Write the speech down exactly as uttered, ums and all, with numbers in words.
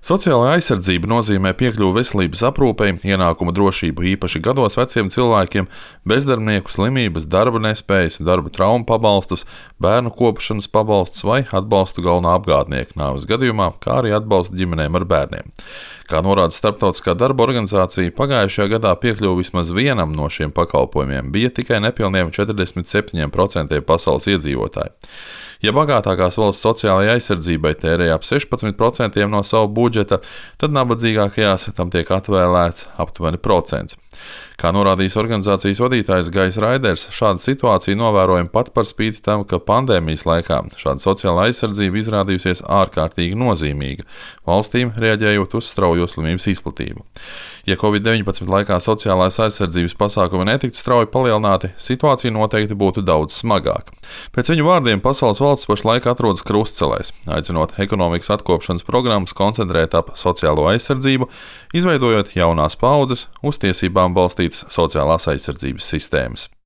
Sociālā aizsardzība nozīmē piekļuvi veselības aprūpei, ienākuma drošību īpaši gados veciem cilvēkiem, bezdarbnieku slimības, darba nespējas, darba traumu pabalstus, bērnu kopšanas pabalstus vai atbalstu galvenā apgādnieka nāves gadījumā, kā arī atbalstu ģimenēm ar bērniem. Kā norāda Starptautiskā darba organizācija, pagājušajā gadā piekļuve vismaz vienam no šiem pakalpojumiem bija tikai nepilniem četrdesmit septiņiem procentiem pasaules iedzīvotāju. Ja bagātākās valsts sociālajai aizsardzībai tērē ap sešpadsmit procentiem no savu budžeta, tad nabadzīgākajās tam tiek atvēlēts aptuveni procents. Kā norādījis organizācijas vadītājs Gajs Raiders, šāda situācija novērojama pat par spīti tam, ka pandēmijas laikā šāda sociālā aizsardzība izrādījusies ārkārtīgi nozīmīga, valstīm reaģējot uz straujo slimības izplatību. Ja covid deviņpadsmit laikā sociālās aizsardzības pasākumi netiktu strauji palielināti, situācija noteikti būtu daudz smagāka. Pēc viņu vārdiem pasaules valsts pašlaik atrodas krustcelēs, aicinot ekonomikas atkopšanas programmas koncentrēt ap sociālo aizsardzību, izveidojot jaunās paaudzes uz tiesībām balstītas sociālās aizsardzības sistēmas.